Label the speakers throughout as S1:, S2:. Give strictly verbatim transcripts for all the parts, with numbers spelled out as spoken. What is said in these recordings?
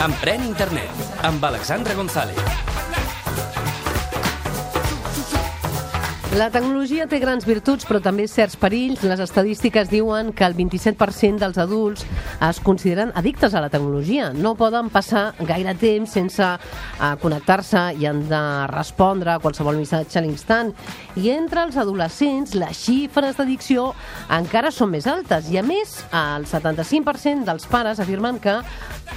S1: Emprèn Internet, amb Alexandra González.
S2: La tecnologia té grans virtuts, però també certs perills. Les estadístiques diuen que el vint-i-set per cent dels adults es consideren addictes a la tecnologia. No poden passar gaire temps sense uh, connectar-se i han de respondre a qualsevol missatge a l'instant. I entre els adolescents, les xifres d'addicció encara són més altes. I a més, el setanta-cinc per cent dels pares afirmen que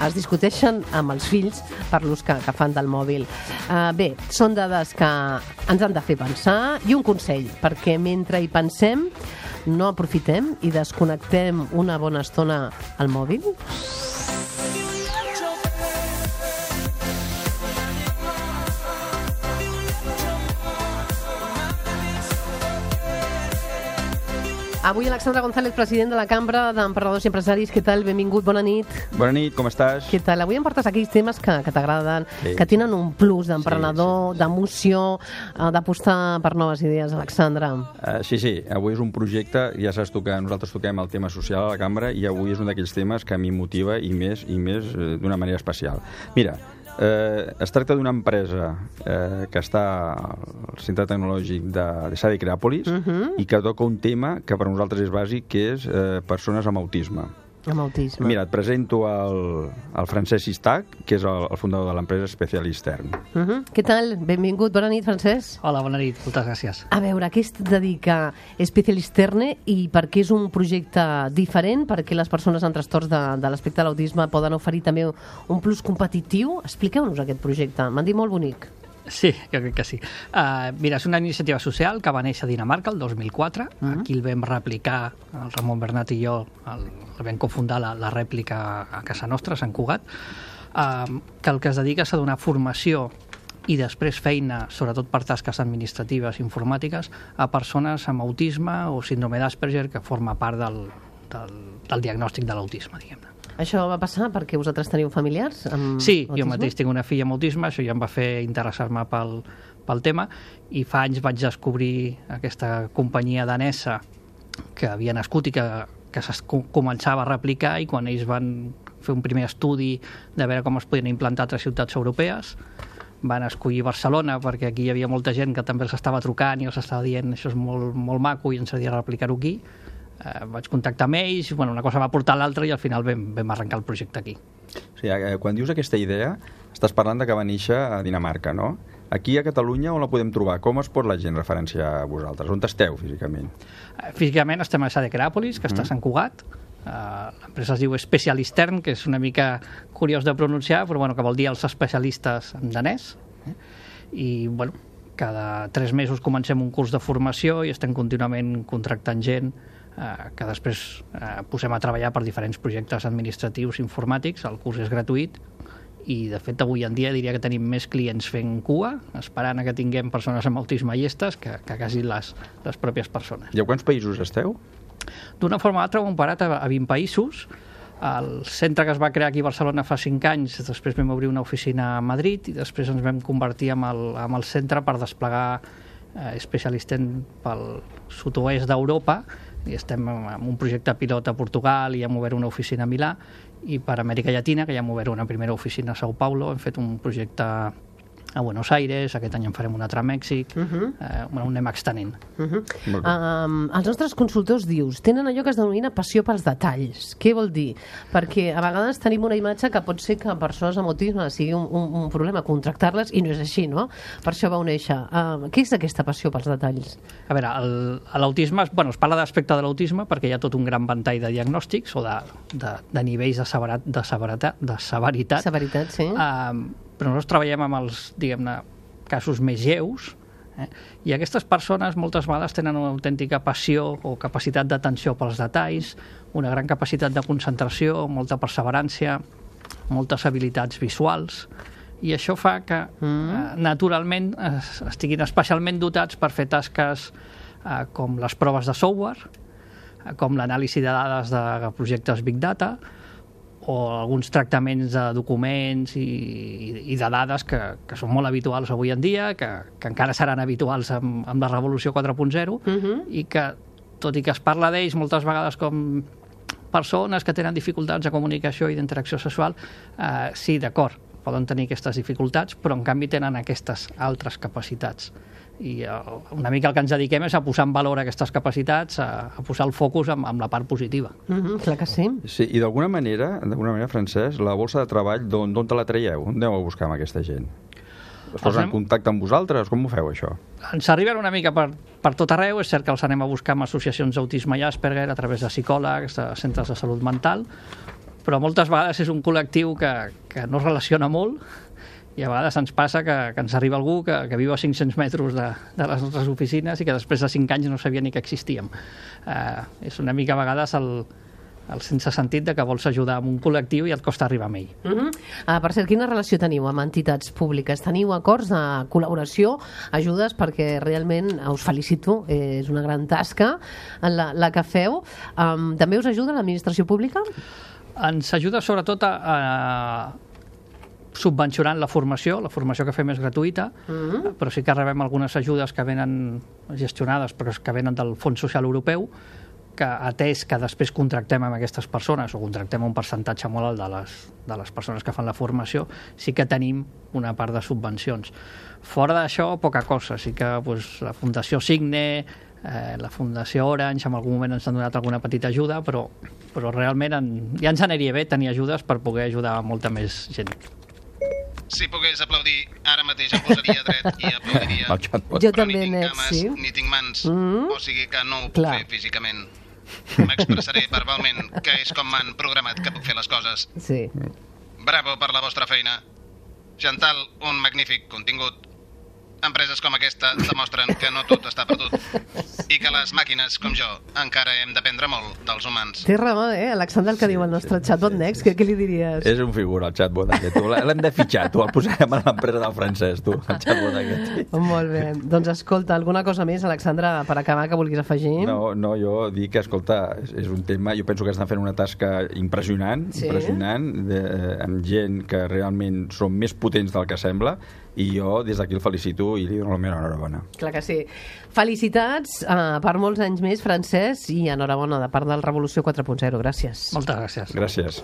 S2: es discuteixen amb els fills per l'ús que, que fan del mòbil. Uh, bé, són dades que ens han de fer pensar, i un consell, perquè mentre hi pensem no aprofitem i desconnectem una bona estona al mòbil. Avui Alexandra González, president de la Cambra d'Emprenedors i Empresaris. Què tal? Benvingut, bona nit.
S3: Bona nit, com estàs?
S2: Què tal? Avui em portes aquells temes que, que t'agraden, sí, que tenen un plus d'emprenedor, sí, sí, d'emoció, d'apostar per noves idees, Alexandra.
S3: Uh, sí, sí, avui és un projecte, ja saps tu que nosaltres toquem el tema social a la Cambra i avui és un d'aquells temes que a mi motiva i més, i més eh, d'una manera especial. Mira, Eh, es tracta d'una empresa eh, que està al centre tecnològic de, de Sade Creàpolis, uh-huh, i que toca un tema que per nosaltres és bàsic, que és eh, persones amb autisme.
S2: Amb autisme.
S3: Mira, et presento el, el Francesc Sistac, que és el, el fundador de l'empresa Specialistern.
S2: Uh-huh. Què tal? Benvingut, bona nit, Francesc.
S4: Hola, bona nit, moltes gràcies.
S2: A veure, a què es dedica Specialisterne i per què és un projecte diferent? Perquè les persones amb trastorns de, de l'aspecte de l'autisme poden oferir també un plus competitiu? Expliqueu-nos aquest projecte, m'han dit molt bonic.
S4: Sí, jo crec que sí. Uh, mira, és una iniciativa social que va néixer a Dinamarca el dos mil quatre. Uh-huh. Aquí el vam replicar, el Ramon Bernat i jo, el, el vam cofundar la, la rèplica a casa nostra, a Sant Cugat, uh, que el que es dedica és a donar formació i després feina, sobretot per tasques administratives i informàtiques, a persones amb autisme o síndrome d'Asperger, que forma part del, del, del diagnòstic de l'autisme, diguem-ne.
S2: Això va passar perquè vosaltres teniu familiars amb
S4: sí,
S2: autisme? Jo
S4: mateix tinc una filla amb autisme, això ja em va fer interessar-me pel, pel tema, i fa anys vaig descobrir aquesta companyia danesa que havia nascut i que, que es començava a replicar, i quan ells van fer un primer estudi de veure com es podien implantar a altres ciutats europees, van escollir Barcelona perquè aquí hi havia molta gent que també els estava trucant i els estava dient això és molt, molt maco i ens agradaria replicar-ho aquí. Uh, vaig contactar amb ells, bueno, una cosa va portar l'altra i al final vam, vam arrencar el projecte aquí.
S3: O sigui, quan dius aquesta idea, estàs parlant de que va néixer a Dinamarca, no? Aquí a Catalunya on la podem trobar? Com es pot la gent referenciar a vosaltres? On esteu físicament?
S4: Uh, físicament estem a Sade Creàpolis, que mm. està a Sant Cugat. Uh, l'empresa es diu Specialistern, que és una mica curiós de pronunciar, però bueno, que vol dir els especialistes en danès. Eh? I bueno, cada tres mesos comencem un curs de formació i estem contínuament contractant gent Uh, que després uh, posem a treballar per diferents projectes administratius informàtics. El curs és gratuït i de fet avui en dia diria que tenim més clients fent cua, esperant a que tinguem persones amb autisme llestes que, que quasi les, les pròpies persones.
S3: I a quants països esteu?
S4: D'una forma o altra ho hem parat a, a vint països. El centre que es va crear aquí a Barcelona fa cinc anys, després vam obrir una oficina a Madrid i després ens vam convertir en el, en el centre per desplegar eh, Specialistern pel sud-oest d'Europa, i estem en un projecte pilot a Portugal i hem obert una oficina a Milà, i per Amèrica Llatina, que ja hem obert una primera oficina a Sao Paulo, hem fet un projecte a Buenos Aires, aquest any en farem un altre a Mèxic, uh-huh. eh, bueno, anem extenent.
S2: Uh-huh. Um, els nostres consultors, dius, tenen allò que es denomina passió pels detalls. Què vol dir? Perquè a vegades tenim una imatge que pot ser que persones amb autisme sigui un, un, un problema contractar-les, i no és així, no? Per això vau néixer. Uh, què és aquesta passió pels detalls?
S4: A veure, l'autisme, bueno, es parla d'aspecte de l'autisme perquè hi ha tot un gran ventall de diagnòstics o de, de, de nivells de, severat, de, severitat, de severitat.
S2: Severitat, sí.
S4: Uh, però nosaltres treballem amb els, diguem-ne, casos més lleus, eh? I aquestes persones moltes vegades tenen una autèntica passió o capacitat d'atenció pels detalls, una gran capacitat de concentració, molta perseverància, moltes habilitats visuals, i això fa que mm. eh, naturalment es, estiguin especialment dotats per fer tasques eh, com les proves de software, eh, com l'anàlisi de dades de projectes Big Data, o alguns tractaments de documents i, i de dades que, que són molt habituals avui en dia, que, que encara seran habituals amb, amb la revolució quatre punt zero, uh-huh. i que tot i que es parla d'ells moltes vegades com persones que tenen dificultats de comunicació i d'interacció sexual, eh, sí, d'acord, poden tenir aquestes dificultats, però en canvi tenen aquestes altres capacitats. I uh, una mica el que ens dediquem és a posar en valor aquestes capacitats, a, a posar el focus amb, amb la part positiva.
S2: Mm-hmm, clar que sí.
S3: Sí, i d'alguna manera, d'alguna manera, Francesc, la bolsa de treball, d'on te la traieu? On aneu a buscar amb aquesta gent? Es posen en contacte amb vosaltres? Com ho feu, això?
S4: Ens arriben una mica per, per tot arreu. És cert que els anem a buscar amb associacions d'autisme i Asperger a través de psicòlegs, de centres de salut mental, però moltes vegades és un col·lectiu que, que no es relaciona molt i a vegades ens passa que, que ens arriba algú que, que viu a cinc-cents metres de, de les nostres oficines i que després de cinc anys no sabia ni que existíem. Uh, és una mica a vegades el, el sense sentit de que vols ajudar amb un col·lectiu i et costa arribar amb ell.
S2: Uh-huh. uh, per cert, quina relació teniu amb entitats públiques? Teniu acords de col·laboració, ajudes, perquè realment us felicito, és una gran tasca la, la que feu. Um, també us ajuda l'administració pública?
S4: Ens ajuda sobretot a, a subvencionant la formació, la formació que fem és gratuïta, uh-huh. però sí que rebem algunes ajudes que venen gestionades, però que venen del Fons Social Europeu, que atès que després contractem amb aquestes persones o contractem un percentatge molt alt de les, de les persones que fan la formació, sí que tenim una part de subvencions. Fora d'això, poca cosa. Sí que pues, la Fundació Signe, eh, la Fundació Orange, en algun moment ens han donat alguna petita ajuda, però, però realment en, ja ens aniria bé tenir ajudes per poder ajudar molta més gent.
S5: Si pogués aplaudir, ara mateix em posaria dret i aplaudiria.
S2: Jo
S5: però
S2: també,
S5: ni tinc
S2: net,
S5: cames,
S2: sí.
S5: ni tinc mans,
S2: Mm.
S5: o sigui que no ho puc
S2: Clar.
S5: fer físicament. M'expressaré verbalment, que és com m'han programat que puc fer les coses.
S2: Sí.
S5: Bravo per la vostra feina. Chantal, un magnífic contingut. Empreses com aquesta demostren que no tot està perdut i que les màquines, com jo, encara hem d'aprendre molt dels humans.
S2: Té raó, eh, Alexandre, el que diu el nostre chatbot Next, què, què li diries?
S3: És un figura, el chatbot aquest. Tu l'hem de fitxar, tu el posarem a l'empresa del francès, tu, el chatbot aquest.
S2: Molt bé. Doncs escolta, alguna cosa més, Alexandre, per acabar, que vulguis afegir?
S3: No, no, jo dic que, escolta, és, és un tema, jo penso que estan fent una tasca impressionant,
S2: Sí.
S3: impressionant, de, amb gent que realment són més potents del que sembla, i jo des d'aquí el felicito i li dono la meva enhorabona.
S2: Clar que sí. Felicitats uh, per molts anys més, Francesc, i enhorabona de part del Revolució quatre punt zero. Gràcies.
S4: Moltes gràcies.
S3: Gràcies.